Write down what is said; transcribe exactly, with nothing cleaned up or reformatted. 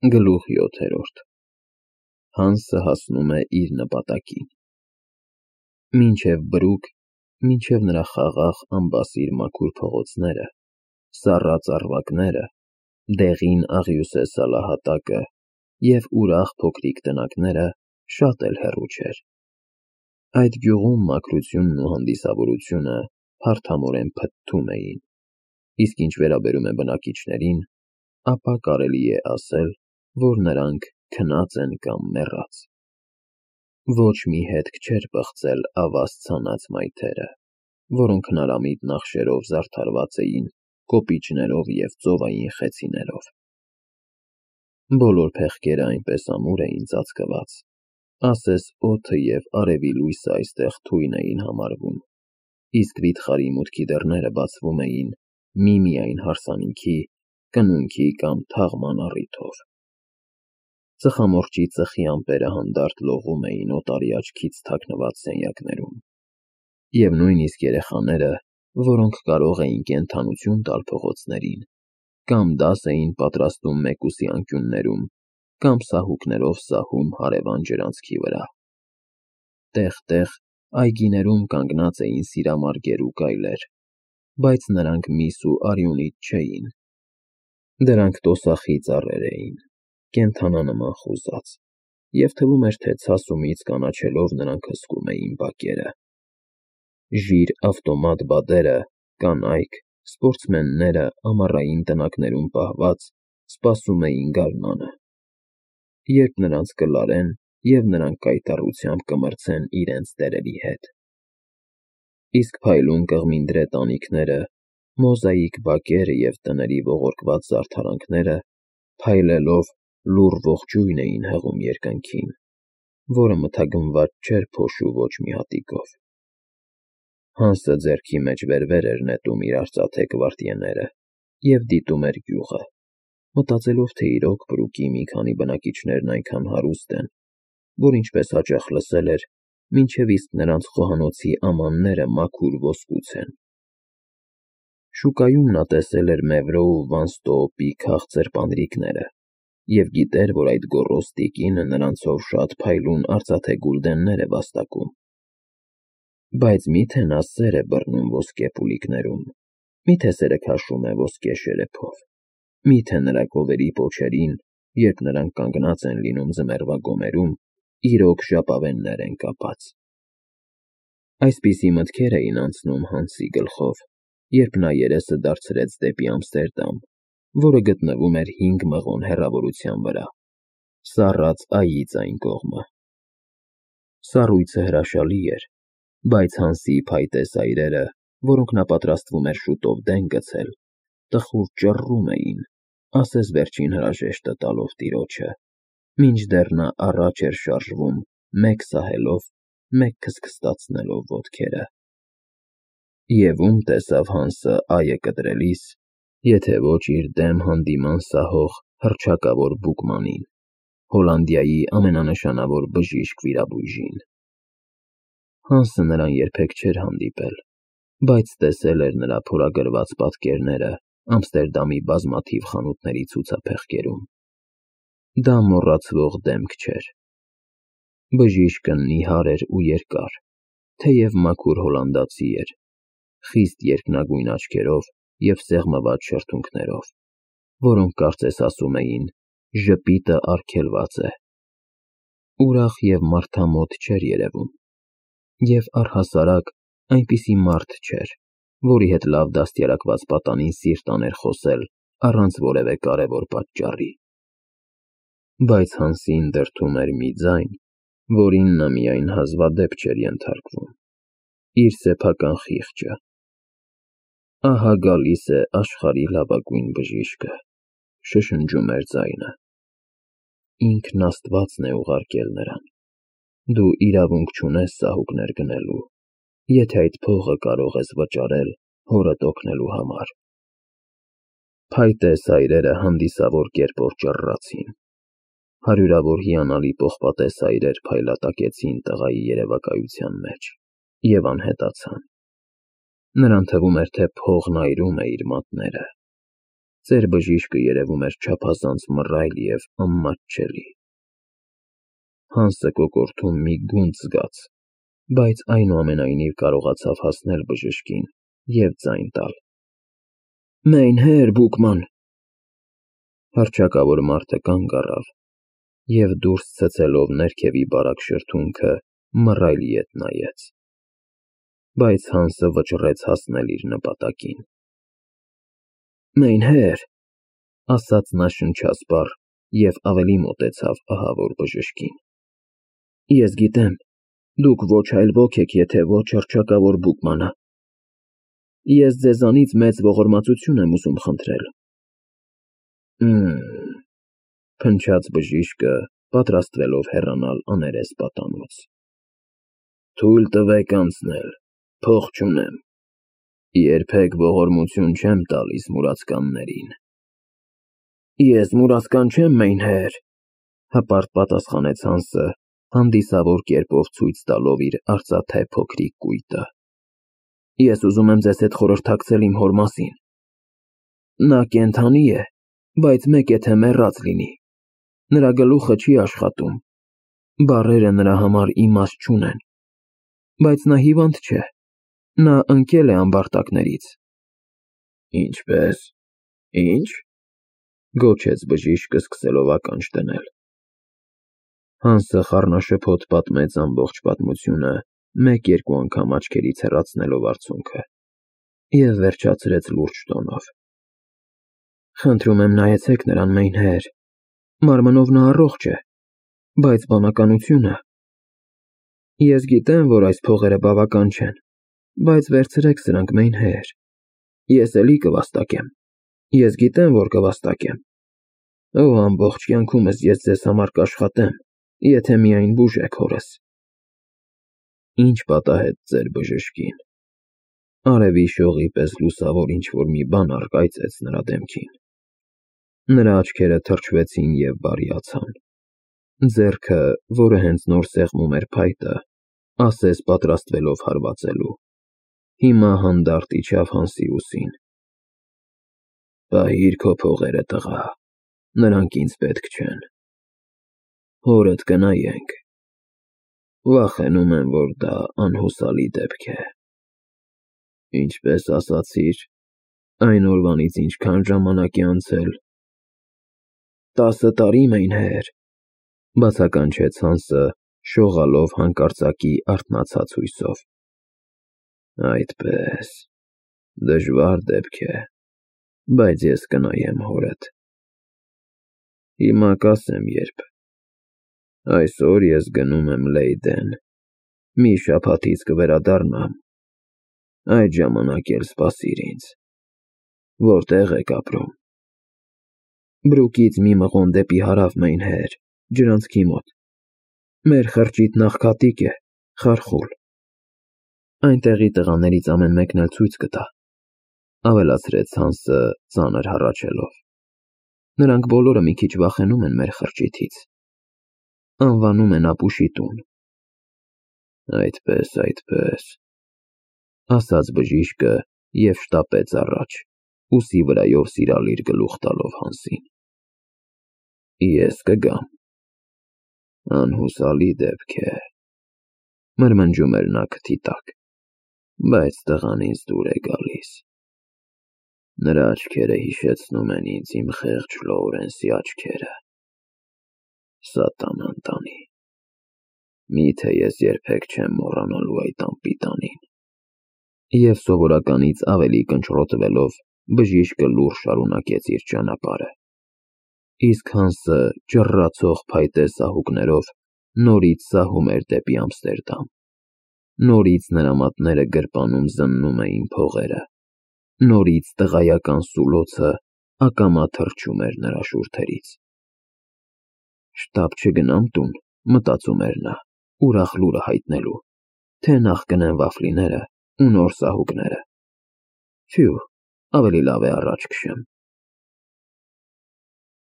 Գլուխ յոթերորդ Հանսը հասնում է իր նպատակին։ Մինչև բրուկ, մինչև նրա խաղաղ անբասիր մաքուր փողոցները, սառած առվակները, դեղին աղյուսե սալահատակը և ուրախ փոքրիկ տնակները շատ էլ հեռու չէր։ Այդ գյուղում մաքրությունն ու հանդիսավորությունը փարթամորեն փթթում էին, իսկ ինչ վերաբերում է բնակիչներին, ապա կարելի է ասել, որ նրանք քնած են կամ մեռած։ Ոչ մի հետք չէր պղծել ավազ ցանած մայթերը, որոնք հնարամիտ նախշերով զարդարված էին կոպիճներով և ծովային խեցիներով։ Բոլոր փեղկերը այնպես ամուր էին ծածկված, ասես օդը և արևի լույսը այստեղ թույն էին համարվում, իսկ վիթխարի մուտքի դռները բացվում էին միմիայն հարսանիքի, կնունքի կամ թաղման առիթով։ Ծխամորճի ծխի ամպերը հանդարտ լողում էին օտարի աչքից թաքնված սենյակներում, և նույնիսկ երեխաները, որոնք կարող էին կենդանություն տալ փողոցներին, կամ դաս էին պատրաստում մեկուսի անկյուններում, կամ սահուկներով սահում հարևան ջրանցքի վրա։ Տեղ-տեղ այգիներում կանգնած էին սիրամարգեր ու գայլեր, բայց նրանք միս ու արյունիտ չէին։ Դրանք տոսախի ծառեր էին, կենդանանման խուզած, և թվում էր, թե ցասումից կանաչելով նրանք հսկում էին բակերը։ Ժիր ավտոմատ բադերը, կանայք, սպորտսմենները ամառային տնակներում պահված, սպասում էին գարնանը, երբ նրանց կլարեն և նրանք կայտառությամբ կմրցեն իրենց տերերի հետ։ Իսկ փայլուն կղմինդրե տանիքները, մոզաիկ բակերը և տների ողորկված զարդարանքները փայլելով լուռ ողջույն էին հղում երկնքին, որը մթագնված չէր փոշու ոչ մի հատիկով։ Հանսը ձեռքի մեջ վեր-վեր էր նետում իր արծաթե գվարդիեները և դիտում էր գյուղը, մտածելով, թե իրոք բրուկի մի քանի բնակիչներն այնքան հարուստ են, որ ինչպես հաճախ լսել էր, մինչև իսկ նրանց խոհանոցի ամանները մաքուր ոսկուց են։ Շուկայում նա տեսել էր Մևրո ու Վանստոոպի քաղցր պանրիկները և գիտեր, որ այդ գոռոզ տիկինը նրանցով շատ փայլուն արծաթե գուլդեններ է վաստակում։ Բայց մի՞թե նա սեր է բռնում ոսկե փուլիկներում, մի՞թե սերը քաշում է ոսկե շերեփով, մի՞թե նրա կովերի պոչերին, երբ նրանք կանգնած են լինում ձմեռվա գոմերում, իրոք ժապավեններ են կապած։ Այսպիսի մտքեր էին անցնում Հանսի գլխով, երբ նա երեսը դարձրեց դեպի Ամստերդամ, որը գտնվում էր հինգ մղոն հեռավորության վրա, սառած այից այն կողմը։ Սառույցը հրաշալի էր, բայց Հանսի փայտե սայրերը, որոնք նա պատրաստվում էր շուտով դեն գցել, տխուր ճռռում էին, ասես վերջին հրաժեշտը տալով տիրոջը, մինչդեռ նա առաջ էր շարժվում մեկ սահելով, մեկ քստքստացնելով ոտքերը։ Եվ ո՞ւմ տեսավ Հանսը այը կտրելիս, եթե ոչ իր դեմ հանդիման սահող հռչակավոր բուկմանին, Հոլանդիայի ամենանշանավոր բժիշկ վիրաբույժին։ Հանսը նրան երբեք չէր հանդիպել, բայց տեսել էր նրա փորագրված պատկերները Ամստերդամի բազմաթիվ խանութների ցուցափեղկերում։ Դա մոռացվող դեմք չէր։ Բժիշկը նիհար էր ու երկար, թեև մաքուր հոլանդացի էր, խիստ երկնագույն աչքերով և սեղմված շրթունքներով, որոնք կարծես ասում էին. «Ժպիտը արգելված է»։ Ուրախ և մարդամոտ չէր երևում, և առհասարակ այնպիսի մարդ չէր, որի հետ լավ դաստիարակված պատանին սիրտ աներ խոսել առանց որևէ կարևոր պատճառի։ Բայց Հանսին դրդում էր մի ձայն, որին նա միայն հազվադեպ չէր ենթարկվում՝ իր սեփական խիղճը։ «Ահա գալիս է աշխարհի լավագույն բժիշկը», շշնջում էր ձայնը։ «Ինքն Աստվածն է ուղարկել նրան։ Դու իրավունք չունես սահուկներ գնելու, եթե այդ փողը կարող ես վճարել հորդ օգնելու համար»։ Փայտե սայրերը հանդիսավոր կերպով ճռռացին։ Հարյուրավոր հիանալի պողպատե սայրեր փայլատակեցին տղայի երևակայության մեջ և անհետացան։ Նրան թվում էր, թե փողն այրում է իր մատները։ Ծեր բժիշկը երևում էր չափազանց մռայլ և անմատչելի։ Հանսը կոկորդում մի գունդ զգաց, բայց այնուամենայնիվ կարողացավ հասնել բժշկին և ձայն տալ. «Մեն հեր, Բուկման»։ Հռչակավոր մարդը կանգ առավ և դուրս ցցելով ներքևի բարակ շրթունքը մռայլ ետ նայեց, բայց Հանսը վճռեց հասնել իր նպատակին։ «Մեն հեր», ասաց նա շնչասպառ և ավելի մոտեցավ ահավոր բժշկին։ «Ես գիտեմ, դուք ոչ այլ ոք եք, եթե ոչ հռչակավոր Բուկմանը։ Ես ձեզանից մեծ ողորմածություն եմ ուզում խնդրել»։ «Հըմ», փնչաց բժիշկը, պատրաստվելով հեռանալ աներես պատանոց։ «Թույլ տվեք անցնել, փող չունեմ։ Երբեք ողորմություն չեմ տալիս մուրացկաններին»։ «Ես մուրացկան չեմ, մեն հեր», հպարտ պատասխանեց Հանսը, հանդիսավոր կերպով ցույց տալով իր արծաթե փոքրիկ կույտը։ «Ես ուզում եմ ձեզ հետ խորհրդակցել իմ հոր մասին։ Նա կենդանի է, բայց մեկ է թե մեռած լինի, նրա գլուխը չի աշխատում, բառերը նրա համար իմաստ չունեն, բայց նա հիվանդ չէ, նա ընկել է ամբարտակներից»։ «Ինչպե՞ս, ի՞նչ», գոչեց բժիշկը, սկսելով ականջ դնել։ Հանսը խառնաշփոթ պատմեց ամբողջ պատմությունը, մեկ-երկու անգամ աչքերից հեռացնելով արցունքը, և վերջացրեց լուրջ տոնով. «Խնդրում եմ նայեցեք նրան, մեն հեր, մարմնով նա առողջ է, բայց բանականությունը… Ես գիտեմ, որ այս փողերը բավական չեն, բայց վերցրեք սրանք, մեն հեր, ես էլի կվաստակեմ, ես գիտեմ, որ կվաստակեմ… Օ, ամբողջ կյանքումս ես ձեզ համար կաշխատեմ, եթե միայն բուժեք հորս»։ Ինչ պատահեց ձեր բժշկին։ Արևի շողի պես լուսավոր ինչ-որ մի բան առկայծեց նրա դեմքին։ Նրա աչքերը թրջվեցին և բարիացան։ Ձեռքը, որը հենց նոր սեղմում էր փայտը, ասես պատրաստվելով հարվածելու, հիմա հանդարտ իջավ Հանսի ուսին։ «Պահիր քո փողերը, տղա, նրանք ինձ պետք չեն։ Հորդ կնայենք։ Վախենում եմ, որ դա անհուսալի դեպք է»։ «Ինչպես ասացիր, այն օրվանից ինչքան ժամանակ է անցել»։ «Տասը տարի, մեն հեր», բացականչեց Հանսը, շողալով հանկարծակի արթնացած հույսով։ «Այդպե՜ս, դժվար դեպք է, բայց ես կնայեմ հորդ։ Հիմա կասեմ երբ։ Այսօր ես գնում եմ Լեյդեն, մի շաբաթից կվերադառնամ, այդ ժամանակ էլ սպասիր ինձ։ Որտե՞ղ եք ապրում»։ «Բրուկից մի մղոն դեպի հարավ, մեն հեր, ջրանցքի մոտ։ Մեր խրճիթն աղքատիկ է, խարխուլ։ Այնտեղի տղաներից ամեն մեկն էլ ցույց կտա», ավելացրեց Հանսը, ծանր հառաչելով։ «Նրանք բոլորը մի քիչ վախենում են մեր խրճիթից։ Անվանում են ապուշի տուն»։ «Այդպես, այդպես», ասաց բժիշկը և շտապեց առաջ, ուսի վրայով սիրալիր գլուխ տալով Հանսին։ «Ես կգամ»։ «Անհուսալի դեպք է», մրմնջում էր նա քթի տակ, «բայց տղան ինձ դուր է գալիս։ Նրա աչքերը հիշեցնում են ինձ իմ խեղճ Լոուրենսի աչքերը։ Սատանան տանի։ Միթե ես երբեք չեմ մոռանալու այդ անպիտանին»։ Եվ սովորականից ավելի կնճռոտվելով, բժիշկը լուռ շարունակեց իր ճանապարհը։ Իսկ Հանսը ճռռացող փայտե սահուկներով նորից սահում էր դեպի Ամստերդամ։ Նորից նրա մատները գրպանում զննում էին փողերը, նորից տղայական սուլոցը ակամա թռչում էր նրա շուրթերից։ «Շտապ չգնամ տուն», մտածում էր նա, ուրախ լուրը հայտնելու, թե նախ գնեմ վաֆլիները ու նոր սահուկները։ Ֆյու, ավելի լավ է առաջ քշեմ։